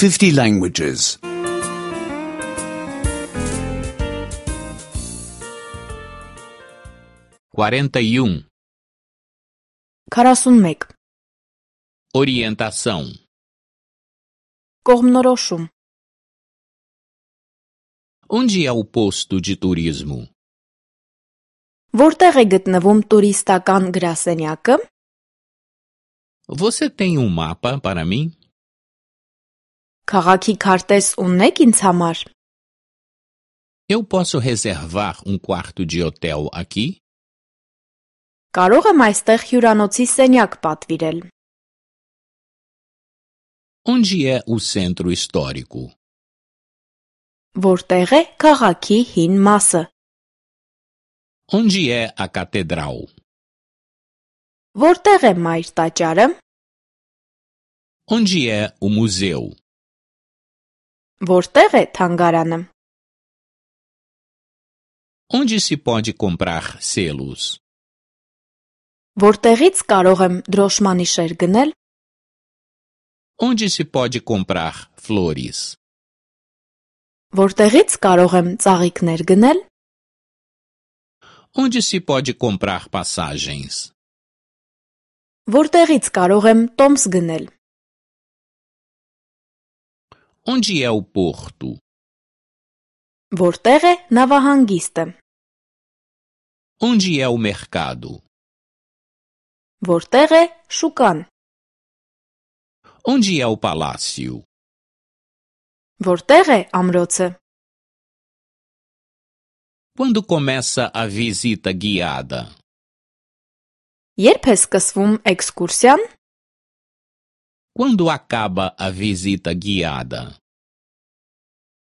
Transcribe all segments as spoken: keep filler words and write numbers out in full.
fifty languages. quarenta e um. քառասունմեկ. Orientação. Կողմնորոշում. Onde é o posto de turismo? Որտեղ է գտնվում տուրիստական գրասենյակը? Você tem um mapa para mim? Քաղաքի քարտեզ ունեք ինձ համար? Eu posso reservar um quarto de hotel aqui? Կարող եմ այստեղ հյուրանոցի սենյակ պատվիրել? Onde é o centro histórico? Որտեղ է քաղաքի հին մասը? Onde é a catedral? Որտեղ է մայր տաճարը? Onde é o museu? Որտեղ է թանգարանը? Onde se pode comprar selos? Որտեղից կարող եմ դրոշմանիշեր գնել? Onde se pode comprar flores? Որտեղից կարող եմ ծաղիկներ գնել? Onde se pode comprar passagens? Որտեղից կարող եմ տոմս գնել? Onde é o porto? Որտեղ է նավահանգիստը? Onde é o mercado? Որտեղ է շուկան? Onde é o palácio? Որտեղ է ամրոցը? Quando começa a visita guiada? Երբ է սկսվում էքսկուրսիան? Quando acaba a visita guiada?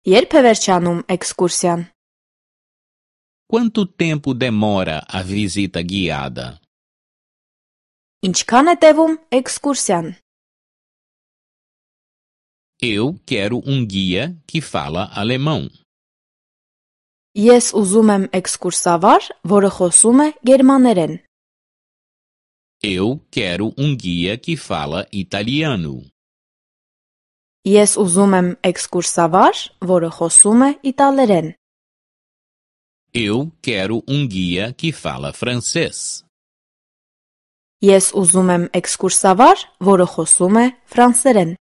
Երբ է վերջանում էքսկուրսիան? Quanto tempo demora a visita guiada? Ինչքան է տևում էքսկուրսիան? Eu quero um guia que fala alemão. Ես ուզում եմ էքսկուրսավար, որը խոսում է գերմաներեն. Eu quero um guia que fala italiano. Ես ուզում եմ էքսկուրսավար, որը խոսում է իտալերեն. Eu quero um guia que fala francês. Ես ուզում եմ էքսկուրսավար, որը խոսում է ֆրանսերեն.